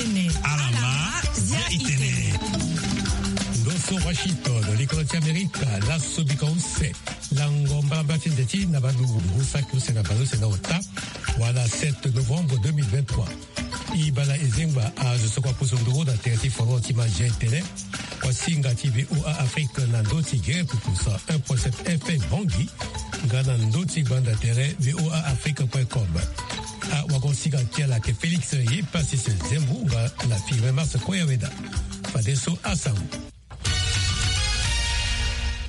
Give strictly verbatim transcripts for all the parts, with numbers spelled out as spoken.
Alama, zia itene. Ndo so Washington, likolo ti Amerika, laso bika use. Lango mbalambala ti nze ti na balungu, saki use na baleuse na ota, wala sept novembre deux mille vingt-trois. E bala e zengba azo so kua pusu nduru na tere ti folon ti Majen tene, kua singa ti V O A Afrique na ndo ti gere pupu cent un point sept F M Bangui, nga na ndo ti gbanda tere V O A Afrique point com. Awagosinga ti ala ayeke Félix Yepassis Zembu nga na Firmin Mars Koyaweda. Fadeso asango.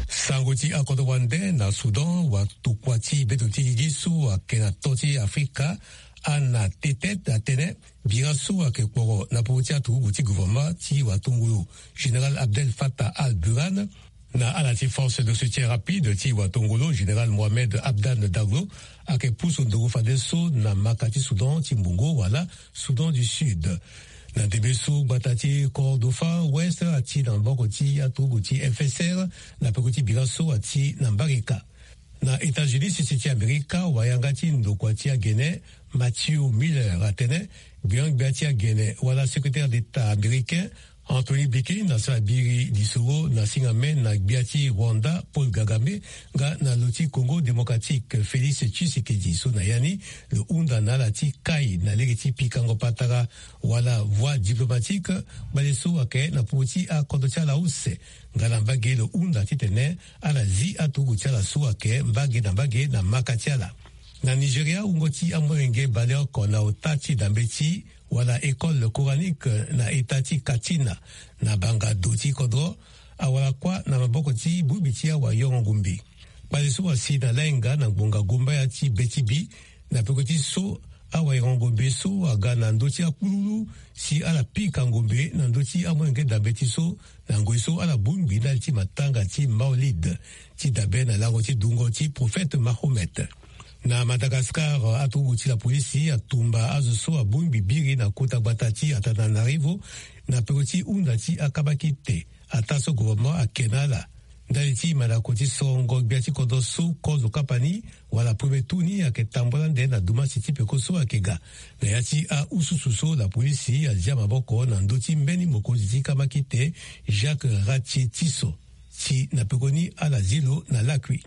Sango ti akodro wande na Soudan, watokua ti beto ti lili so ayeke na to ti Afrika, Anna Tetet atene, bira so ayeke kporo na popo ti aturugu ti gouvernement ti watongolo, Général Abdel Fattah al-Burhan, na ala ti force de soutien rapide ti watongolo, Général Mohamed Hamdan Daglo, ayeke pusu nduru fadeso na maka ti Soudan ti mbongo wala Soudan du Sud. Na ndembe so gbata ti Kordofan Ouest ati na maboko ti aturugu ti F S R, na peko ti bira so ati na mbarika. Na États-Unis, sese ti Amerika, wayanga ti ndokua ti agene, Matthew Miller atene, gbia-gbia ti agene wala secrétaire d'État américain, Antony Blinken, asara biri lisoro na singa me na gbia ti Rwanda, Paul Kagame, nga na lo ti Congo Démocratique, Félix Tshisekedi, so na ya ni lo hunda na ala ti kai na lege ti pikango patara wala voie diplomatique, kpale so ayeke na popo ti akodro ti ala use, nga na mbage lo hunda titene ala zi aturugu ti ala so ayeke mbage na mbage na maka ti ala. Na Nigeria, wungo ti amolenge baleoko na ota ti dambe ti wala école coranique na eta ti Katsina, na banga do ti kodro, awara kuâ na maboko ti bongbi ti awayoro ngombe. Kpale so asi na lainga na ngbonga gombaya ti be ti bi, na peko ti so awayoro ngombe so aga na ndö ti akpululu, si ala pika ngombe na ndö ti amolenge dambe ti so, na ngoi so ala bongbi ndali ti matanga ti Maulid, ti dabe na lango ti dungo ti prophète Mahomet. Na Madagascar, aturugu ti lapolisi atumba azo so abongbi biri na kota gbata ti Antananarivo, na peko ti hunda ti akabakite, ataa so gouvernement ayeke na ala. Ndali ti mandako ti sorongo gbia ti kodro so kozo kapa ni, wala premier tour ni ayeke tambula ande na dumasi ti peko so ayeke ga. Na ya ti ahususu so lapolisi azia maboko na ndö ti mbeni mokonzi ti kamakite, Jacques Ratie Tisso, si na pekoni ala zi lo na lakui.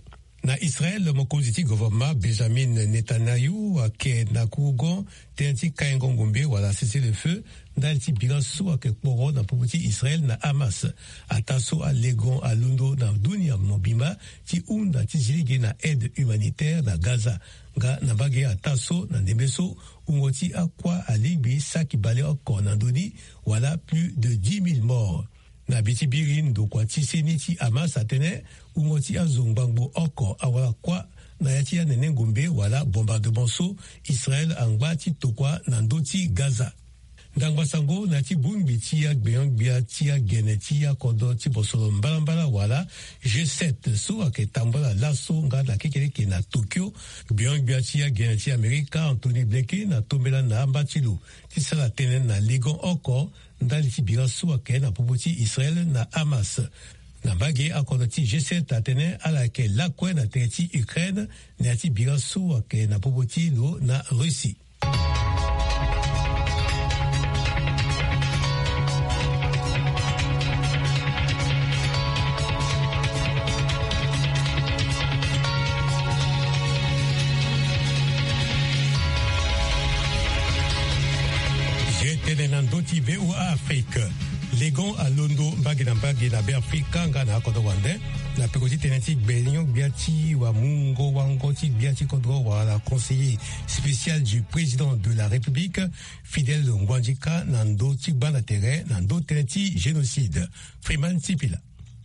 Na Israël, mokonzi ti gouvernement Benjamin Netanyahu ayeke na kurugon tënë ti kaingo ngombe wala cessez-le-feu, ndali ti bira so ayeke kporo na popo ti Israël na Hamas, ataa so alegon alondo na dunia mobimba ti hunda ti zi lege na aide humanitaire na Gaza. Nga na mbage ataa so na ndembe so wungo ti akuâ alingbi saki baleoko oko na ndö ni, wala plus de dix mille morts. Na bi ti biri, ndokua ti seni ti Hamas atene wungo ti azo ngbangbo oko awara kuâ na ya ti anene ngombe wala bombardement so Israël angba ti tokua na ndö ti Gaza. Ndangba sango na ya ti bongbi ti agbenyo-gbia ti agene ti akodro ti bosolo mbalambala wala G sept so ayeke tambula laso nga na kekereke na Tokyo. Gbenyo-gbia ti agene ti Amerika, Antony Blinken, atombela na amba ti lo ti sara tënë na legon oko ndali ti bira so ayeke na popo ti Israël na Hamas. Na mbage, akodro ti G sept atene ala yeke lakue na tere ti Ukraine na ya ti bira so ayeke na popo ti lo na Russie. Ye tene na ndö ti V O A Afrique. Legon alondo mbage na mbage na Beafrika nga na akodro wande, na peko ti tënë ti gbenyo-gbia ti wamungo-wango ti gbia ti kodro wala conseiller spécial du président de la République, Fidèle Nguandika, na ndö ti gbanda tere na ndö tënë ti génocide. Freeman Sipila.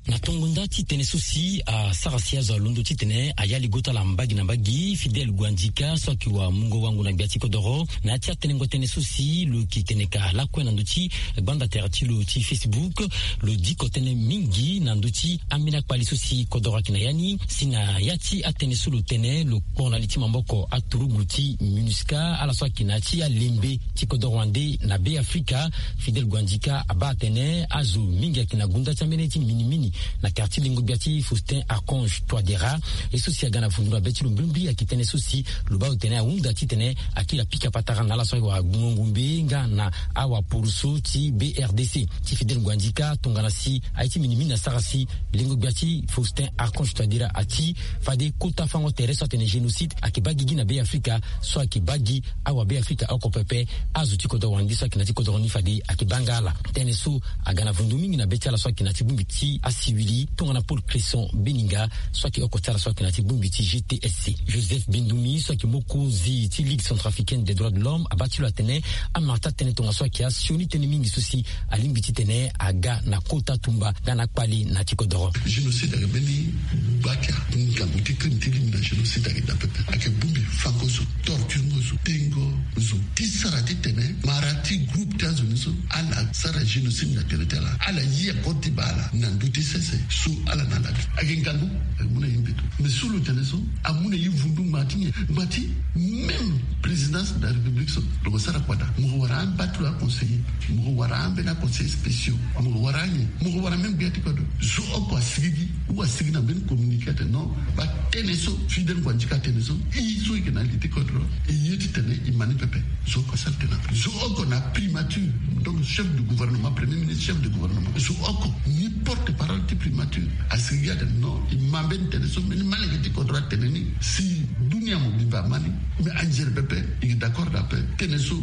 Na tongo nda ti tene so si asara si azo alondo titene ayali gota ala mbage na mbage, Fidèle Nguandika so ayeke wamungo-wango na gbia ti kodoro, na ya ti atenengo tënë so si lo yeke tene ka lakue na ndö ti gbanda tere ti lo ti Facebook, lo diko tënë mingi na ndö ti ambeni akpali so si kodoro ayeke na ya ni, si na ya ti atënë so lo tene, lo kpo na li ti maboko aturugu ti MINUSCA, ala so ayeke na ya ti alembe ti kodoro wande na Beafrika. Fidèle Nguandika abaa atene azo mingi ayeke na gunda ti ambeni ti minimini Na quartier lingo gbia ti Faustin Archange Touadéra, ye so si aga na vundu na be ti lo mbrimbri ayeke tënë so si lo baa lo tene ahunda titene akiri apika patara na ala so ayeke wara ngongombe nga na awaporoso ti B R D C. Ti Fidèle Nguandika tongana si aye ti minimini asara si lingo gbia ti Faustin Archange Touadéra ati fade kota fango tere so atene génocide ayeke baa gigi na Be Afrika, so ayeke baa gi awa Be Afrika oko pepe. Azo ti kodoro wande so ayeke na ya ti kodoro ni fade ayeke baa nga ala. Tënë so aga na vundu mingi na be ti ala so ayeke na ya ti bongbi ti asiwili tongana Paul Cresson Beninga, so ayeke oko ti ala so ayeke na ya ti bongbi ti G T S C. Joseph Bindumi so ayeke mokonzi ti Ligue Centrafricaine des Droits de l'Homme abaa ti lo atene amara ti atene tongana so ayeke asioni tënë mingi so si alingbi titene aga na kota tumba nga na akpale na ya ti kodoro. Génocide ayeke mbeni gbata ngangu ti crime ti lingbi na génocide ayeke daa pepe. Ayeke bongbi fango zo, torture ngo zo, tengo zo ti sara titene mara ti groupe ti azo ni so ala sara génocide na tere ti ala. Ala ye akode ti baa ala na ndö ti sese so ala na ala. Ayeke ngangu, ayeke mu na ye mbeto. Mais so lo tene so amu na ye vundu ngba ti nyen? Ngba ti même présidence de la République so lo ko sara kua daa. Mo ko wara amba ti lo aconseiller, mo ko wara ambeni aconseiller spéciaux, mo ko wara anyen, mo ko wara même gbia ti kodro. Zo oko asigigi ou asigi na mbeni communiqué atene non, baa tënë so Fidèle Nguandika atene so, e so e yeke na li ti kodro, e ye titene e ma ni pepe. Zo oko asara tënë ape. Zo oko na primature, donc chef du gouvernement, premier ministre, chef du gouvernement. Zo oko ni porte parole ti primature. Asigi atene non, e ma mbeni tënë so mbeni malenge ti kodro atene ni, si dunia mobimba ama ni. Mais anzere pepe, e yeke d'accord na ape. Tënë so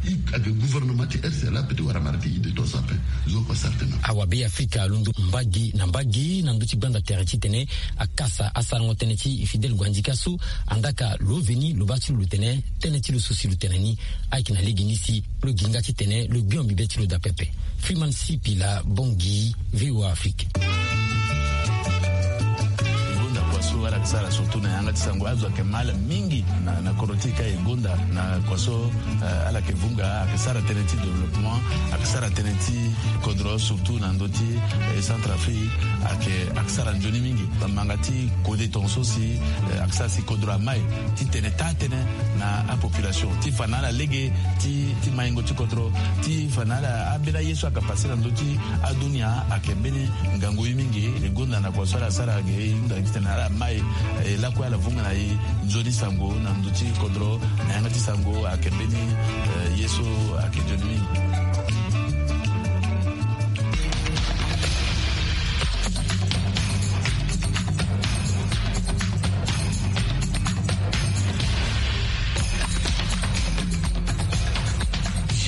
e ayeke gouvernement ti R C L ape ti wara mara ti ide to so ape. Zo oko asara tënë ape. Awa Be Afrika alondo mbage na mbage na ndö ti gbanda tere titene akasa asarango tënë ti Fidèle Nguandika so andaa ka lo veni lo baa ti lo lo tene tënë ti lo so si lo tene ni ayeke na lege ni si lo gi nga titene lo gbio mbi be ti lo daa pepe. Freeman Sipila, Bangui, V O A Afrique. E gonda kua so ala yeke sara surtout na yanga ti sango, azo ayeke ma ala mingi na, na kodro ti e ka. E gonda na kua so, eh, ala yeke vunga, ayeke sara tënë ti développement, ayeke sara tënë ti kodro surtout na ndö ti, eh, Centrafrique, ayeke, ayeke sara nzoni mingi. Bamanga ti kode tongaso si, eh, ayeke sara si kodro amai titene taa tënë na apopulation ti fa na ala lege ti, ti maingo ti kodro, ti fa na ala ambeni aye so ayeke passe na ndö ti adunia ayeke mbeni ngangu ye mingi. E gonda na kua so ala sara ge e hunda titene ala mai, eh, lakue ala vunga na e nzoni sango na ndö ti kodro na yanga ti sango ayeke mbeni, eh, ye so ayeke nzoni mingi.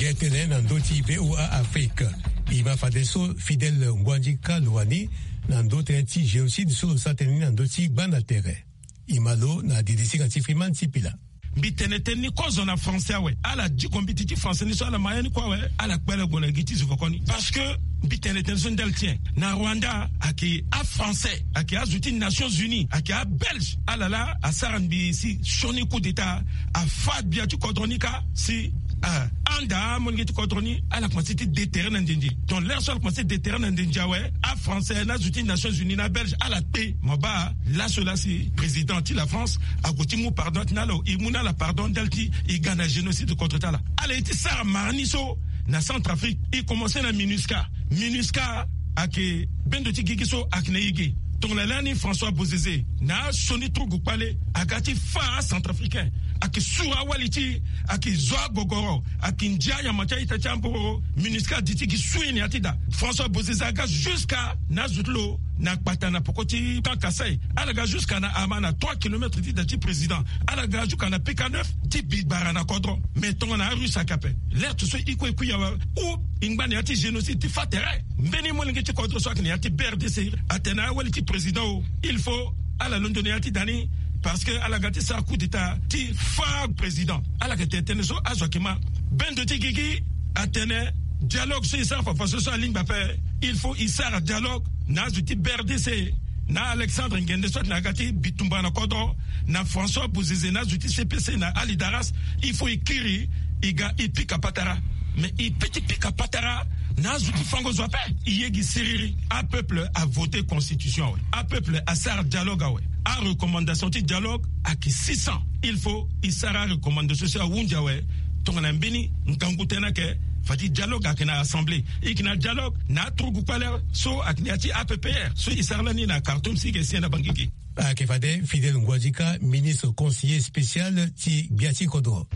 Ye tene na ndö ti V O A Afrique. E ma fadeso Fidèle Nguandika lo wani na ndö tënë ti génocide so lo sara tënë ni na ndö ti gbanda tere. E ma lo na didi singa ti Freeman Sipila. Mbi tene tënë ni kozo na français awe. Ala diko mbiti ti français ni so ala ma ya ni kue awe. Ala kpele gue na gi ti zovoko ni. Parce que mbi tene tënë so ndali ti nyen? Na Rwanda ayeke afrançais, ayeke azo ti Nations Unies, ayeke abelge. Ala laa asara mbi si sioni coup d'état, afa gbia ti kodro ni kâ si, ah, anda amolenge ti kodro ni ala komanse ti déterrer na nzenze. Donc l'heure so ala komanse déterrer na nzenze awe, afrançais na azo ti Nations Unies na abelge ala kpe. Mo baa laso laa si président ti la France ague ti mu pardon, atene ala e mu na ala pardon ndali ti e ga na génocide contre ti ala. Ala ye ti sara mara ni so na Centrafrique. E komanse na MINUSCA. MINUSCA ayeke bendo ti gigi so ayeke na e ge. Tongana lani François Bozizé na asioni turugu kpale aga ti fâ acentrafricain, ayeke suru awali ti e, ayeke zo agogoro, ayeke ndia anyama ti a-ita ti ambororo. MINUSCA adi ti gi sui na ya ti da. François Bozizé aga jusqu'à na azo ti lo na kpata na poko ti Camp Kasaï. Ala ga jusqu'à na Hama, na trois kilomètres ti da ti président. Ala ga jusqu'à na P K neuf ti bi gbara na kodro. Mais tongana arusse ayeke ape. L'heure so e kue e kui awe, ou e ngba na ya ti génocide ti fâ tere. Mbeni molenge ti kodro so ayeke na ya ti B R D C atene awali ti président o, il faut ala londo na ya ti da ni, parce que ala ga ti sara coup d'état ti fâ président. Ala yeke tene tënë so azo ayeke ma. Bendo ti gigi atene dialogue so e sara fafaso so alingbi ape. Il faut e sara dialogue na azo ti B R D C, na Alexandre Ngende so atene aga ti bitumba na kodro, na François Bozizé na azo ti C P C na Ali Daras. Il faut e kiri, e ga e pika patara. Mais e peut ti pika patara na azo ti fango zo ape. E ye gi siriri. Apeuple avoté constitution awe. Apeuple asara dialogue awe. Arecommandation ti dialogue ayeke six cents. Il faut e sara arecommandation so ahunzi awe. Tongana mbeni ngangu tënë ayeke, Fadi dialogue ayeke na assemblée, e yeke na dialogue na aturugu kpale so ayeke na ya ti A P P R so e sara lani na Khartoum si e yeke si na Bangui ge. Ayeke fade Fidèle Nguadika, ministre conseiller spécial ti gbia ti kodro.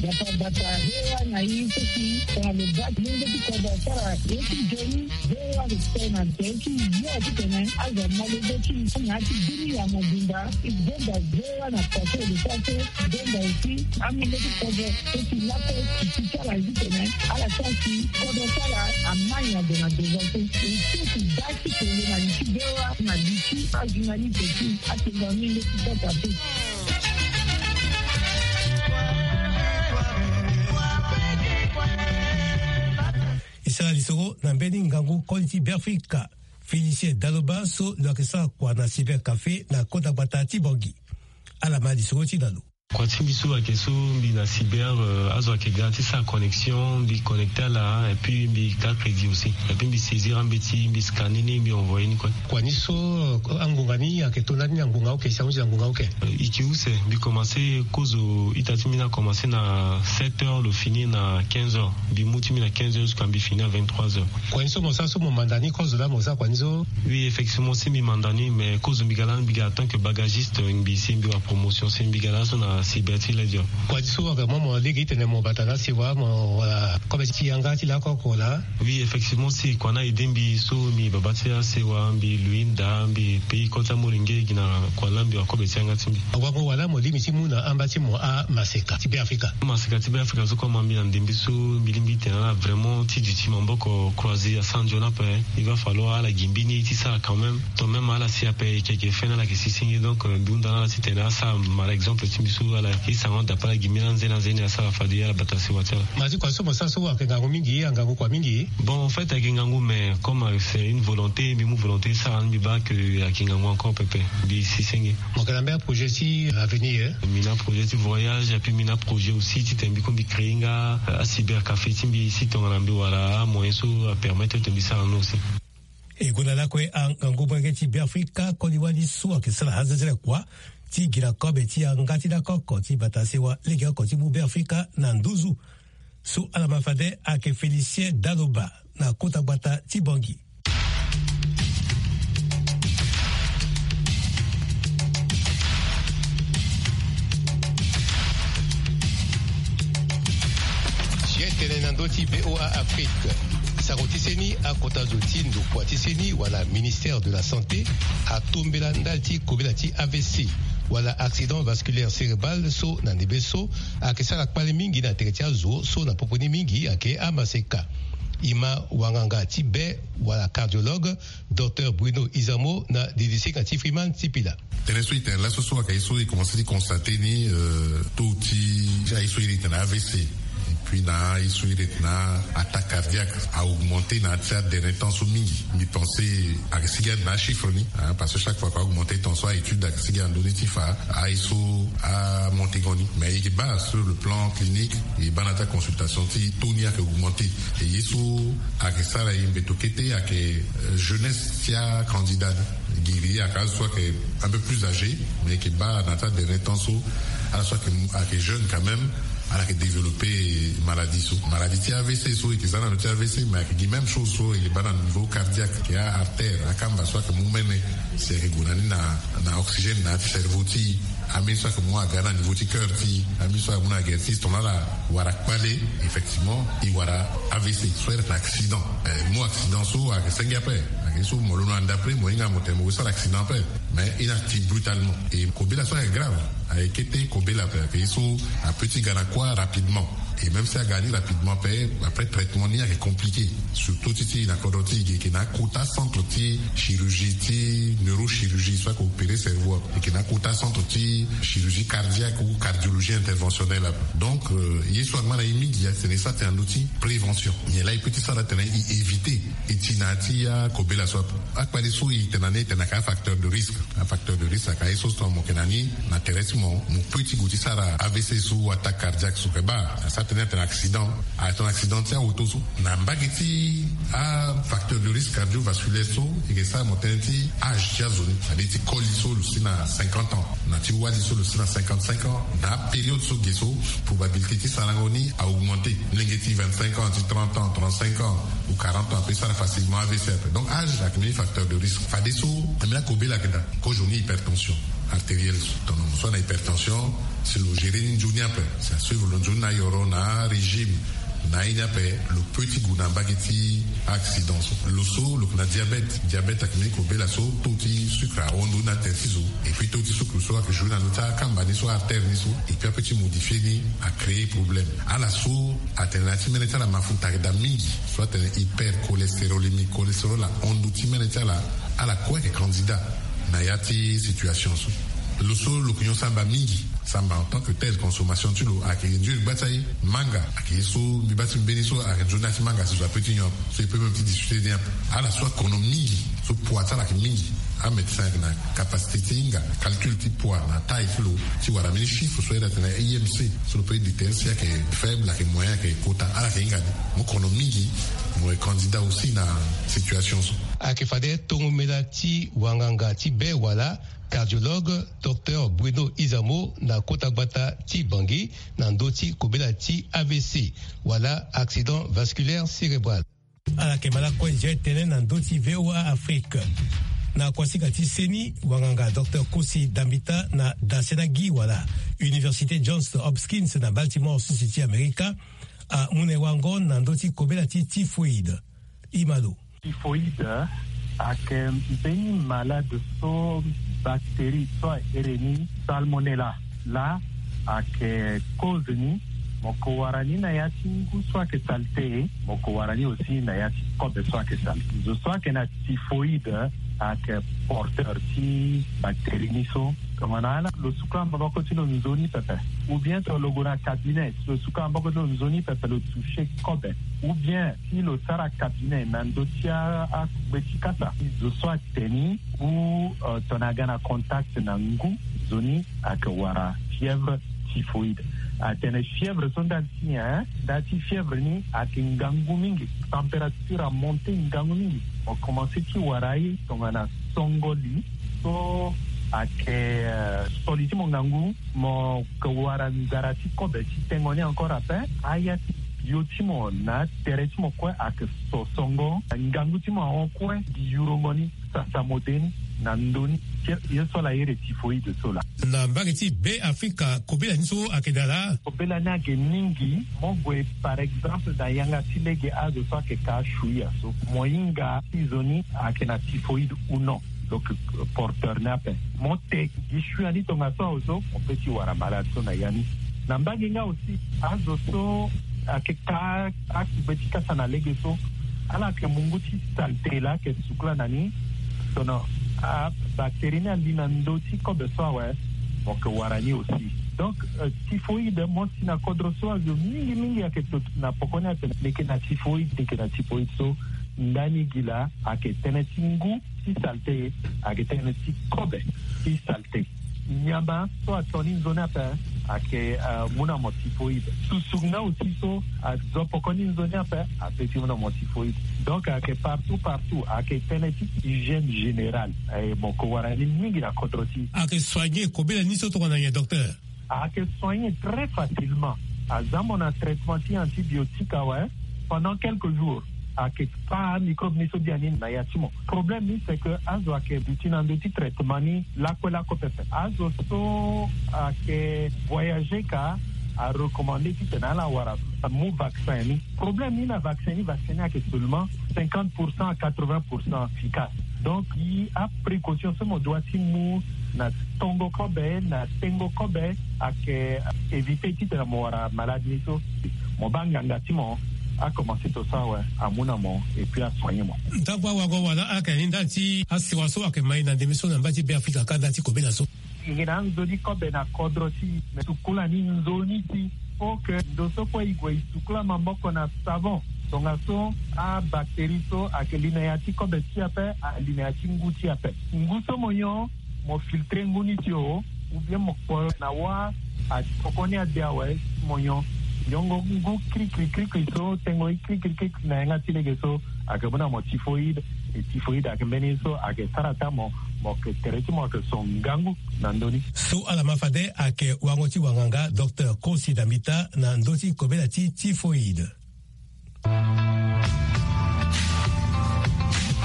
Bata bata, V O A na e so si tongana lo baa ti lenge ti kodro asara ye ti nzoni, V O A respect na tënë ti yo titene azo amolenge ti na ya ti bini ya mobimba. E gbenda V O A na façon de faire que gbenda aussi amolenge ti kodro so si lakue ti ti ti ala titene ala sara si kodro ti ala amai na ndo na devant so. E so si baa ti tene na li ti V O A na li ti ajournaliste ti atengo amolenge ti kodro ape. E sara lisoro na mbeni ngangu koli ti Beafrika, Félicien Daloba so lo yeke sara kua na cybercafé na kota gbata ti Bangui. Ala ma lisoro ti na lo. Kua ti mbi so ayeke so mbi na cyber, euh, azo ayeke ga ti sara connexion, mbi connecté ala, et puis mbi ga crédit aussi. Et puis mbi saisir ambeti, mbi scanner ni, mbi envoyer ni kue. Kua ni so, euh, angonga ni ayeke to lani na ngonga oke, si ahunzi na ngonga oke? Euh, e yeke use, mbi commencé kozo ita ti mbi ni akommence na sept heures, lo fini na quinze heures. Mbi mu ti mbi na quinze heures jusqu'à mbi fini à vingt-trois heures. Kua ni so mo sara so mo manda ni kozo laa mo sara kua ni so? Oui, effectivement, si mbi manda ni, mais kozo mbi ga laa mbi ga en tant que bagagiste, mbi si mbi wara promotion, si mbi ga laso na cyber ti ledio. Kua ni so vraiment mo lege ti tene mo bata na sewa mo wala kobe ti yanga ti lakoko laa? Oui, effectivement, si kua ni a aidé mbi so mbi baba ti asewa, mbi lui nda, mbi paye kota molenge gi na kua laa mbi wara kobe ti yanga ti mbi. Awango wala mo lingbi ti mu na amba ti mo amaseka ti Beafrika? Maseka ti Beafrika so koma mbi na ndembe so mbi lingbi ti tene ala vraiment ti duti maboko croisé asara nzoni ape. Il va falloir ala gi mbeni ye ti sara quand même. To même ala si ape e yeke, e yeke fini ala yeke si senge. Donc, euh, mbi hunda na ala ti tene asara mara exemple ti mbi so ala yeke sarango dape ala gi mbeni anze na anze ni asara fade ala bata sewa ti ala. Ma ti kua so mo sara so ayeke ngangu mingi, angangu kua mingi? Bon, en fait, ayeke ngangu, mais comme, euh, c'est une volonté, mbi mu volonté ti sara ni, mbi baa que ayeke ngangu encore pepe. Mbi si senge. Mo yeke na mbeni aprojet ti avenir? Mbi na projet ti voyage, et puis mbi na projet aussi titene mbi kue mbi créer nga, euh, acyber café ti mbi, si tongana mbi wara amoyen so apermettre ete mbi sara ni aussi. E gonda lakue angangu molenge ti Beafrika koli wali so ayeke sara azenzele kua ti gi na kobe ti yanga ti lakoko ti bata sewa legeoko ti mu Beafrika na nduzu. So ala ma fade ayeke Félicien Daloba na kota gbata ti Bangui. Ye tene na ndö ti V O A Afrique. Sako ti seni, akota zo ti ndokua ti seni wala ministère de la santé atombela ndali ti kobela ti A V C wala accident vasculaire cérébral so na ndembe so ayeke sara kpale mingi na tere ti azo so na popo ni mingi ayeke amaseka. E ma wanganga ti be wala cardiologue, Docteur Bruno Izamo na didisinga ti Freeman Sipila. Tënë so e tene laso so ayeke ye so e commencé ti constater ni, euh, taux ti aye so e iri tene A V C, et puis na aye so e iri tene attaque cardiaque a augmenté na ya ti aderni temps so mingi. Mbi pensé ayeke sigi ande na achiffre ni, hein, parce que chaque fois que a augmenté temps so a-étude ayeke sigi na ndö ni ti fa aye so amonté ngo ni. Mais e yeke baa sur le plan clinique, e baa na ya ti aconsultation ti taux ni ayeke augmenté. E ye so ayeke sara e mbeto kete ayeke, euh, jeunesse ti acandidat ni. Giri ayeke azo so ayeke un peu plus âgé, mais e yeke baa na ya ti aderni temps so ala so ayeke, ayeke jeune quand même, ala yeke développé maladie so. Maladie ti A V C so e yeke za na lo ti A V C, mais ayeke gi même chose so e yeke baa na niveau cardiaque, ayeke a-artère, akamba so ayeke mu mene, si ayeke gue na ni na, na oxygène na ya ti cerveau ti e. Ambeni so ayeke mu aga na niveau ti cœur ti e, ambeni so ayeke mu na gere ti e, si tongana ala wara kpale, effectivement e wara A V C so e iri tene accident. Eh, mu accident so ayeke senge ape. Ayeke so mo londo na ndapre mo hinga mo tene mo sara accident ape. Mais e na ti brutalement. E kobela so ayeke grave. Ayeke kete kobela ape, ayeke ye so apeut ti ga na kuâ rapidement. Et même si aga ni rapidement ape, après traitement ni ayeke compliqué. Surtout ti ti e na kodro ti e, e yeke na akota centre ti chirurgie ti neurochirurgie so ayeke opéré cerveau ape. E yeke na akota centre ti chirurgie cardiaque ou cardiologie interventionnelle ape. Donc, euh, ye so angba na e mingi atene e sara tënë na ndö ti prévention. Nyen laa e peut ti sara titene e éviter e ti na ya ti akobela so ape? Akpale so e tene na ni, e tene ayeke afacteur de risque. Afacteur de risque ayeke aye so so mo yeke na ni na tere ti mo, mo peut ti gue ti sara A V C so, attaque cardiaque so, e baa. Tene atene accident, atene accident ti aoto so na mbage ti afacteur de risque cardiovasculaire so, e ke sara mo tene ti âge ti azo ni, c'est-à-dire ti koli so lo si na cinquante ans, na ti wali so lo si na cinquante-cinq ans. Na apériode so ge so, probabilité ti sarango ni a augmenter. Molenge ti vingt-cinq ans, ti trente ans, trente-cinq ans ou quarante ans ape sara facilement A V C ape. Donc âge ayeke mbeni facteur de risque. Fadeso ambeni akobela ayeke daa. Kozoni hypertension artérielle so, tongana mo so ana hypertension, si lo gérer ni nzoni ape, si asuivre lo nzoni na ayoro, na arégime, na aye ni ape, lo peut ti gue na mbage ti accident so. Lo so lo yeke na diabète. Diabète ayeke mbeni kobela so, taux ti sucre ahon ndoni na terre ti zo. Et puis taux ti sucre so ayeke jouer na ndö ti akamba ni so, artère ni so. Et puis apeut ti modifier ni, acréer problème. Ala so atene na ya ti mene ti ala mafuta ayeke daa mingi, so atene hypercholestérolémie, cholestérol ahon ndö ti mene ti ala. Ala kue ayeke candidat na ya ti situation so. Lo so lo yeke nyon samba mingi, samba en tant que tel, consommation ti lo ayeke nzoni gba ti aye. Manga ayeke ye so mbi baa ti mbeni so ayeke nzoni na ya ti manga si zo apeut ti nyon ape. So e peut même ti discuter ni ape. Ala so akono mingi, so poids ti ala ayeke mingi, amédecin ayeke na capacité ti hinga calcul ti poids na taille ti lo, ti wara mbeni chiffre so ayeke na I M C, so lo peut déterminer si ayeke faible, ayeke moyen, ayeke kota. Ala ayeke hinga ni. Mo kono mingi, mo yeke candidat aussi na situation so. Ayeke fade tongomela ti wanganga ti be wala cardiologue, docteur Bruno Izamo, na kota gbata ti Bangui, na ndö ti kobela ti A V C wala accident vasculaire cérébral. Ala yeke ma lakue nzere tënë na ndö ti V O A Afrique. Na kuasika ti seni, wanganga docteur Kosi Dambita na Dasenagi wala Université Johns Hopkins na Baltimore, sese ti Amerika, amu na e wango na ndö ti kobela ti typhoïde. Imalo. Typhoïde ayeke mbeni malade so bactérie so ahere ni Salmonella laa ayeke cause ni. Mo ke wara ni na ya ti ngu so ayeke salté. Mo ke wara ni aussi na ya ti kobe so ayeke salté. Zo so ayeke na typhoïde ayeke porteur ti bactérie ni so. Tongana ala lo sukula maboko ti lo nzoni pepe, ou bien tongana lo gue na cabinet, si lo sukula maboko ti lo nzoni pepe, lo toucher kobe, ou bien si lo sara cabinet na ndö ti akugbe ti kasa, zo so atene ni ou tongana aga na contact na ngu, nzoni ayeke wara fièvre typhoïde. Atene fièvre so ndali ti nyen? Ndali ti fièvre ni ayeke ngangu mingi, température amonte ngangu mingi. Mo commencer ti wara ye tongana songo li so ayeke so li ti mo ngangu, mo ke wara nzara ti kobe ti tengo ni encore ape. Aya ti bio ti mo na atere ti mo kue ayeke so songo, ngangu ti mo ahon kue, gi yurongo ni, sasa mo de ni na ndö ni. Ye so ala iri typhoïde so laa. Na mbage ti Be Afrika, kobela ni so ayeke daa laa. Kobela ni ayeke mingi. Mo gue par exemple na yanga ti lege azo so ayeke ka shuia so, mo hinga si zo ni ayeke na typhoïde ou non. Donc porteur ni ape, mo te gi shuia ni tongaso awe so, mo peut ti wara malade so na ya ni. Na mbage nga aussi, azo so ayeke ka akugbe ti kasa na lege so, ala yeke mungu ti salté laa ayeke sukula na ni. Tongana abactérie ni ali na ndö ti kobe so awe, mo yeke wara ni aussi. Donc typhoïde, mo si na kodro so azo mingi mingi ayeke to na poko ni atene ni yeke na typhoïde, ni yeke na typhoïde so. Ndani gi laa ayeke tënë ti ngu ti salté, ayeke tënë ti kobe ti salté. Nyama so ato ni nzoni ape ayeke mu na mo typhoïde. Susu nga aussi so azo poko ni nzoni ape apeut ti mu na mo typhoïde. Donc ayeke partout partout, ayeke tënë ti hygiène générale. Mo ke wara ni mingi na kodro ti. Ayeke soigner kobela ni so tongana nyen, docteur? Ayeke soigner très facilement. Aza mo na traitement ti antibiotique awe, pendant quelques jours ayeke kpa microbe ni so bia ni na ya ti mo. Problème ni c'est que azo ayeke duti na ndö ti traitement ni lakue lakue pepe. Azo so ayeke voyager ka, arecommande titene ala wara, amu vaccin ni. Problème ni na vaccin ni, vaccin ni ayeke seulement cinquante pour cent à quatre-vingts pour cent efficace. Donc gi aprécaution so mo doit ti mu na tongo kobe, na tengo kobe, ayeke éviter titene mo wara malade ni so. Mo baa nganga ti mo, akomanse to so awe, amu na mo et puis asoigner mo. Ntango awago wala ayeke ni ndali ti asewa so ayeke ma e na ndembe so na mba ti Be Afrika ka ndali ti kobela so. E yeke na anzoni kobe na kodro ti e, me sukula ni nzoni ti. Faut que ndo so kue e gue e sukula maboko na savon. Tongaso abactérie so ayeke li na ya ti kobe ti e ape, ali na ya ti ngu ti e ape. Ngu so mo nyon, mo filtrer ngu ni ti o, ou bien mo kpo na wâ, atokoni ade awe, mo nyon. Yongo ngu kirikiri kirikiri so tengo ye kirikiri kirikiri na yanga ti lege so ayeke mu na mo typhoïde. E typhoïde ayeke mbeni so ayeke sara ata mo, mo yeke tere ti mo ayeke so ngangu na ndö ni. So ala ma fade ayeke wango ti wanganga docteur Kosi Dambita na ndö ti kobela ti typhoïde.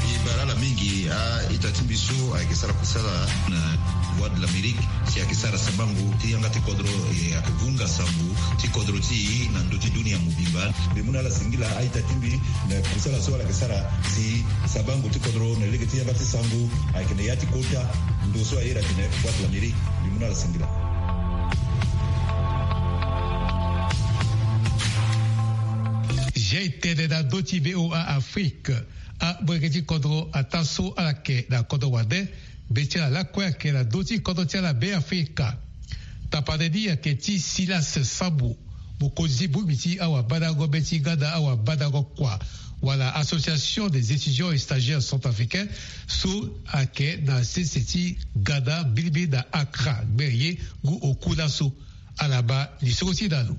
E baa ala mingi a-ita ti mbi so ayeke sara kusala na Voix de l'Amérique, si ayeke sara sabango ti yanga ti kodro, e ayeke vunga sango ti kodro ti e na ndö ti dunia mobimba. Mbi mu na ala singila a-ita ti mbi na kusala so ala yeke sara si sabango ti kodro na lege ti yanga ti sango ayeke na ya ti kota ndo so aye atene Voix de l'Amérique. Mbi mu na ala singila. Zia e tene na ndö ti V O A Afrique. Amolenge ti kodro ataa so ala yeke na kodro wande, be ti ala lakue ayeke na ndö ti kodro ti ala Be Afrika. Tapande ni ayeke ti Silas Sambu, mokonzi ti bongbi ti awabandango be ti Ghana, awabandango kua, wala Association des étudiants et stagiaires centrafricains, so ayeke na sese ti Ghana mbirimbiri na Accra, gbere ye ngu oku laso. Ala baa lisoro ti e na lo.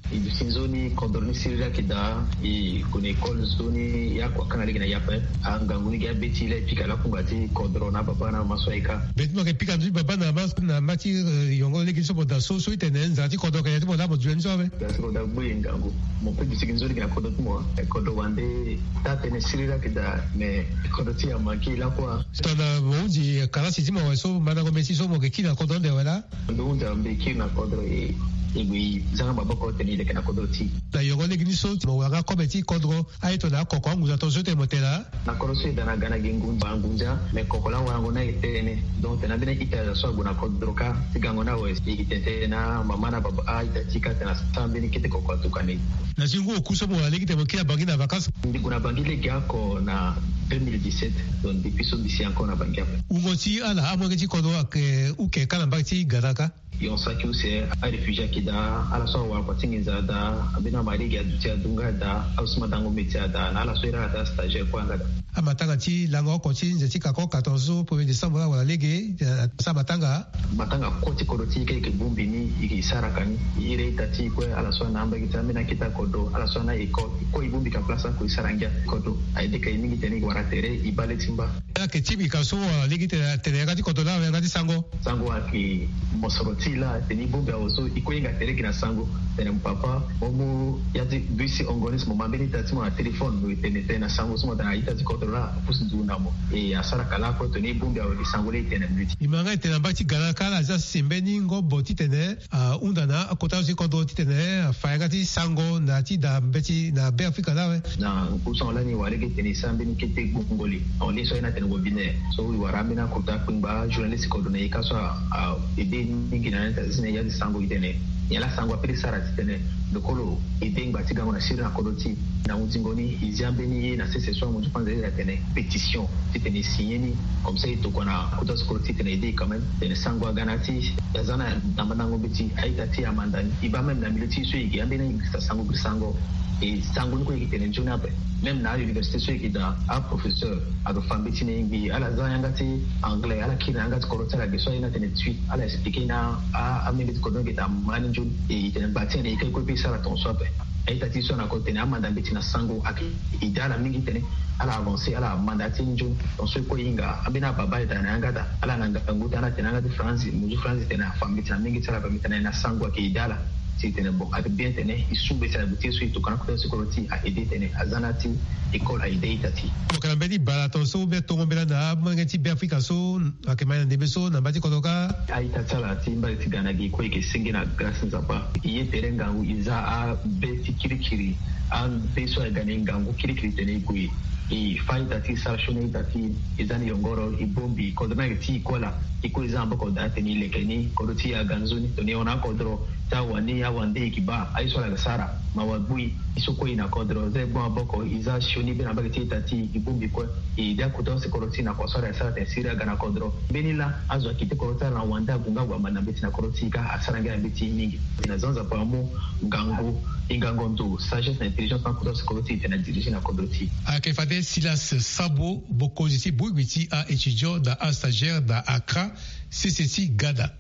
E duti nzoni kodro ni siriri ayeke daa, e gue na école nzoni, e akua kanga lege na e ape. Angangu ni gi abeti laa e pika lakunga ti kodro na ababa na mama so ayeke. Be ti mo yeke pika ndö ti baba na mama na mama ti, eh, yongo lege ni so mo daa so, so e tene nzara ti kodro ayeke na ya ti mo laa mo duti ni so ape. Nzara ti kodro agbu e ngangu. Mo pe duti gi nzoni gi na kodro ti mo. Eh, kodro wande taa tënë siriri ayeke daa, mais kodro ti e amanke lakue. Tongana mo hunzi kalasi ti mo awe so mandango mbeti so mo yeke kiri na kodro ande awe laa. Ndo hunzi ambeti kiri na kodro e, e gue e zanga maboko titene e leke na kodro ti e. Na yongo lege ni so mo wara nga kobe ti kodro, aye tongana akoko angunza tongaso ti tene mo tene laa. Na kodro so e daa na ga na gi ngunza, ngunza, me koko laa warango ni aye tënë. Donc tene ambeni a-ita so ague na kodro kâ ti gango ni awe, e yeke tene tënë na mama na baba, a-ita ti e kâ tene asara mbeni kete koko atuka na e. Na zi ngu oku so mo wara lege titene mo kiri na Bangui na vacances. Mbi gue na Bangui lege oko na deux mille dix-sept, donc depuis so mbi si encore na Bangui ape. Wungo ti ala amolenge ti kodro ayeke uke kâ na mbage ti Ghana kâ. Yon saki use, aréfugié ayeke daa, ala so awara kua ti nginza adaa, ambeni amari ge aduti adu nga daa, ala so ma dango mbeti adaa, na ala so iri ala daa stagiaire kue anga daa. Amatanga ti lango oko ti nze ti kako quatorze premier décembre laa wala lege, eh, asara matanga. Matanga kue ti kodro ti e kâ e yeke bongbi ni, e yeke sara ka ni. E iri a-ita ti e kue, ala so ana ambagi ti ambeni akete kodro, ala so ana école, e kue e bongbi ka place oko e sara ngia. Kodro a-ede ka e mingi titene e wara tere, e baa le ti mba. Ayeke ti mbi ka so, ah, lege ti tene, tene yanga ti kodro laa, yanga ti sango. Sango ayeke mosoro ti e laa, tene e bongbi awe so, e kue e hinga tere gi na sango. Tene mo papa, mo mu ya ti bus ti Ongonis, mo ma mbeni ita ti mo na téléphone, mo tene tene na sango so mo daa na ita ti kodro laa, apusu nzungu na mo. E asara ka lakue tongana e bongbi awe gi sango laa e tene na mbi ti. E ma nga e tene na mbage ti Ghana kâ ala zia sese mbeni ngobo titene ahunda na akota zo ti kodro titene afa yanga ti sango na ya ti daa mbeti na Be Afrika laa awe. Na ngu so ahon lani e wara lege titene e sara mbeni kete gbongoli. Ahon lege so aye ni atene webinaire. So e wara ambeni akota kpengba journaliste kodro na e kâ so a, a ede mingi na ni titene e ya ti sango e tene nyen laa sango apeut ti sara titene lo kue lo ede ngba ti gango na siriri na kodro ti e. Na hunzingo ni e zia mbeni ye na sese so amu ti panze atene pétition. Titene e signé ni, comme ça e tokua na kota ti kodro ti e titene e ede quand même titene sango aga na ya ti e. Aza na mandango mbeti, a-ita ti e amanda ni. E baa même na milieu ti e so e yeke ambeni angirisa sango, giri sango. E sango ni kue e yeke tene nzoni ape. Même na a-université so e yeke daa, aprofesseur ado fa mbeti na e ngbii, ala za yanga ti anglais, ala kiri na yanga ti kodro ti ala ge so aye ni atene tui, ala expliqué ni a, a, amenge ti kodro ni ge daa ma ni nzoni. E, e tene ngba ti tene e kue e kue pe e sara tongaso ape. A-ita ti e so ana ko tene amanda mbeti na sango ayeke ede ala mingi titene ala avancer, ala manda ti nzoni. Donc so e kue e hinga ambeni ababa e daa na yanga daa, ala na ngangu ti ala tene yanga ti franzi, mo zu franzi tene afa mbeti na mingi ti ala ape, mbi tene na sango ayeke ede ala. Si e tene bon, ayeke bien titene e su mbeti na gbu ti e so e tokua na kota ti kodro ti e, a ede titene aza na ya ti école, a ede a-ita ti e. Mo yeke na mbeni bala tongaso ou bien tongo mbela na amolenge ti Be Afrika so ayeke ma na ndembe so na mba ti kodro kâ. A-ita ti ala ti mbage ti ga na gi kue e yeke senge na grâce ti Nzapa. E ye tere ngangu, e za abe ti kirikiri, abe so aga na e ngangu kirikiri titene e gue e fa a-ita ti e, e sara sioni a-ita ti e, e za ni yongoro, e bongbi kodro ni ayeke ti e kue laa. E kue e za maboko daa titene e leke ni, kodro ti e aga nzoni. Tongana e hon na akodro ti awani, awande, e yeke baa aye so ala yeke sara. Mawa gbu e. E so kue e na kodro, za e gbu maboko, e za sioni be na mbage ti a-ita ti e, e bongbi kue. E ede akota use kodro ti e na kua so ala yeke sara titene siriri aga na kodro. Mbeni laa azo akete kodro ti ala na wande ague nga ague amanda mbeti na kodro ti e kâ, asara ngia na mbeti mingi. E na za Nzapa amu ngangu, e ngangu ndo, sagesse na intelligence na akota use kodro ti e titene adirige na kodro ti e. Ayeke fade Silas Sabo, mokonzi ti bongbi ti a-étudiant na astagiaire na Accra, sese ti Ghana.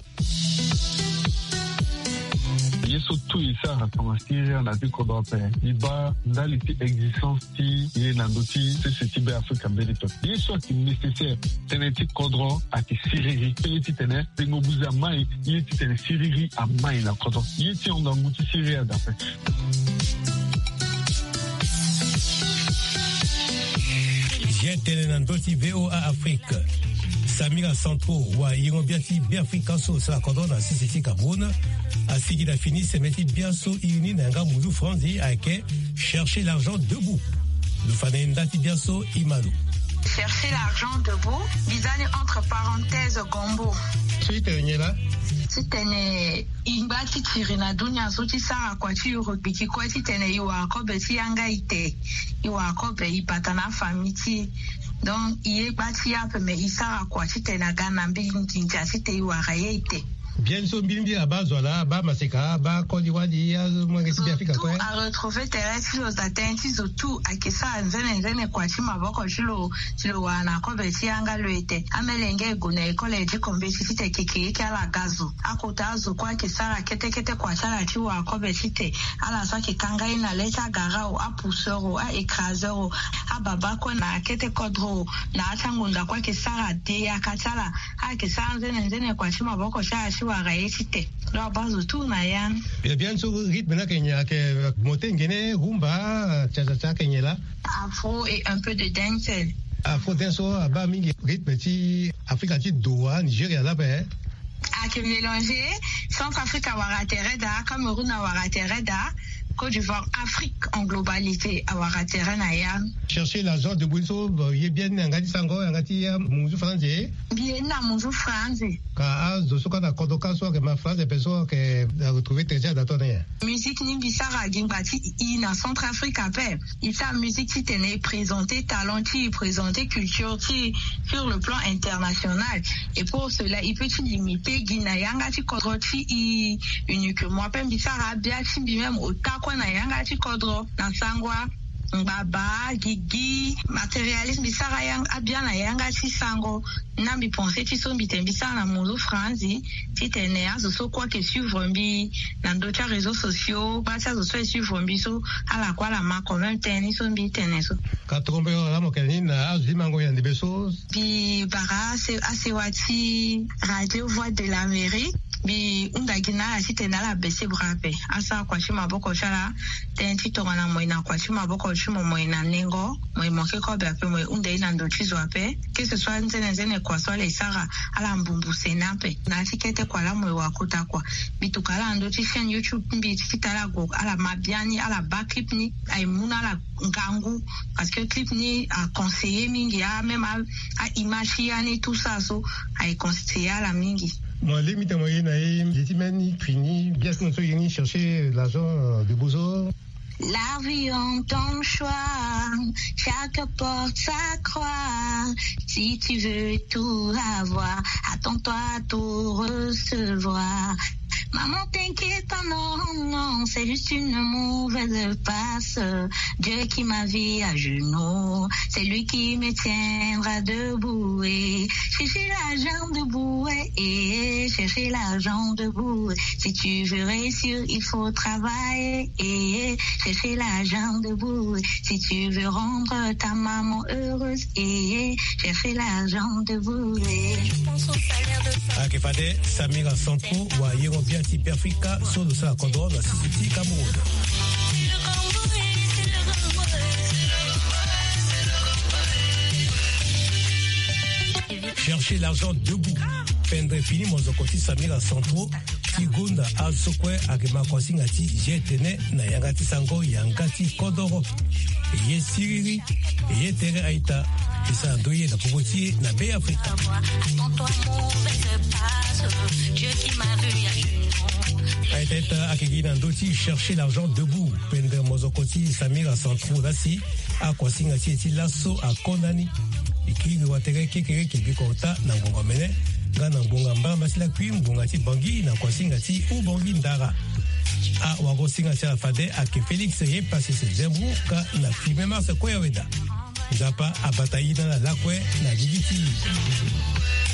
Ye so tout e sara tongana siriri na ti kodro ape, e baa ndali ti existence ti ye na ndö ti sese ti Be Afrika mbeni pepe. Ye so ayeke nécessaire, tënë ti kodro ayeke siriri. Ye titene tengo buze amai, ye titene siriri amai na kodro. Ye ti hon ngangu ti siriri adape. Ye tene na ndö ti V O A Afrique. Samira Santro, wayengo-bia ti Beafrika so sara kodro na sese ti Cameroun, asigi na fini seme ti bia so e uni na yanga munzu franzi ayeke Chercher l'argent debout. Lo fa na e nda ti bia so e ma lo. Chercher l'argent debout, mbi za ni entre parenthèses gombo. So e tene nyen laa? Titene e ngba ti tiri na dunia so ti sara kua ti yuru gbiki kue titene e wara kobe ti yanga ite, e wara kobe e bata na afamille ti e. Donc e ye gba ti ye ape, me e sara kua titene aga na mbi nginza titene e wara ye ite. Bien so mbilimbi abaa zo ala, abaa maseka, abaa koli wali, amolenge ti Beafrika kue. Zo tout aretrouver tere ti lo, daa tënë ti zo tout ayeke sara nzene nzene kua ti maboko ti lo, ti lo wara na kobe ti yanga lo ete. Amelenge e gue na école ti kombeti titene kekereke ala ga zo. Akota azo kue ayeke sara kete kete kua ti ala ti wara kobe tite. Ala so ayeke kanga ye na le ti agarau, apousseur o, aécraseur o, ababa kue na kete kodro o, na ati angonda kue ayeke sara de yaka ti ala. Ayeke sara nzene nzene kua ti maboko ti ala ti wara ye tite. Lo abaa zo tout na ya ni. Bien, bien so rythme ni ayeke nyen? Ayeke mote ngene, rumba, cha-cha-cha, ayeke nyen laa? Afro et un peu de dancehall. Afro dance so abaa mingi rythme ti Afrika ti do wa, Nigeria laa ape. Ayeke mélanger, Centrafrique awara tere daa, Cameroun awara tere daa, Côte d'Ivoire, Afrique en globalité awara tere na ya. Chercher l'argent debout so, bon, ye bia ni na yanga ti sango, yanga ti, euh, munzu franzi. Mbi ye ni na munzu franzi. Ka azo so ka na kodro ka so ayeke ma franzi ape so ayeke, euh, retrouver tere ti ada tongana nyen? Musique ni mbi sara gi ngba ti e na Centrafrique ape. E sara musique titene e présenter talent ti e, e présenter culture ti e sur le plan international. Et pour cela, e peut ti limiter gi na yanga ti kodro ti e uniquement. Ape mbi sara abia ti mbi même ota kue na yanga ti kodro, na sango, ngbaba, gigi, matérialisme, mbi sara yang-, abia na yanga ti sango. Na mbi pensé ti so mbi tene mbi sara na munzu franzi, titene azo so kue ayeke suivre mbi na ndö ti aréseaux sociaux, baa ti azo so e suivre mbi so, ala kue ala ma quand même tënë ni so mbi tene so. Ka trompe yo ala mo kene ni na azo ti mango yande be so. Mbi bara ase-, asewa ti Radio Voix de l'Amérique. Mbi hunda gi na ala titene ala baisser bras ape, asara kua ti maboko ti ala. Tënë ti tongana mo ye na kua ti maboko ti mo, mo ye na nengo, mo ye mo ke kobe ape, mo ye hunda ye na ndo ti zo ape. Que ce soit nzene nzene kua so ala ye sara, ala mbumbu sene ape. Na ya ti kete kua laa mo ye wara kota kua. Mbi tuka ala na ndö ti chaîne YouTube ti mbi ti kita ala gue, ala ma biani, ala baa clip ni, aye mu na ala ngangu. Parce que clip ni a conseiller mingi, a même a, a image ti ya ni tout ça so, aye conseiller ala mingi. Mo lingbi tene mo ye na e, ye ti mbeni fini, bien sûr so ye ni chercher l'argent, euh, debout so. La vie en ton choix, chaque porte sa croix. Si tu veux tout avoir, attends-toi à tout recevoir. Maman, t'inquiète pas, non, non, c'est juste une mauvaise passe. Dieu qui m'a vu à genoux, c'est lui qui me tiendra debout. Et chercher l'argent debout, et chercher l'argent debout. Si tu veux réussir, il faut travailler, et chercher l'argent debout. Si tu veux rendre ta maman heureuse, et chercher l'argent debout. Ayeke fade Samira Santro, wayengo-bia ti Beafrika so lo sara kodro na sese ti Cameroun. Chercher l'argent debout. Pendre fini mozoko ti Samira Santro ti gonda azo so kue ayeke ma kuasinga ti ye tene na yanga ti sango, yanga ti kodoro. Ye siriri, ye tere a-ita. E sara ndo ye na popo ti e na Beafrika. A-ita, a-ita, ayeke gi na ndö ti chercher l'argent debout. Pendre mozoko ti Samira Santro laa si akuasinga ti e ti laso akonda ni. E kiri watere kekereke biko ota na ngonga mene nga na ngonga mbarambala ti lakui ngonga ti Bangui na kuasinga ti Ubangui Ndara. Awagosinga ti ala fade ayeke Félix Yepasese Zembro ka na filme Mars Koyaweda. Nzapa abata ye na ala lakue na gigi ti e.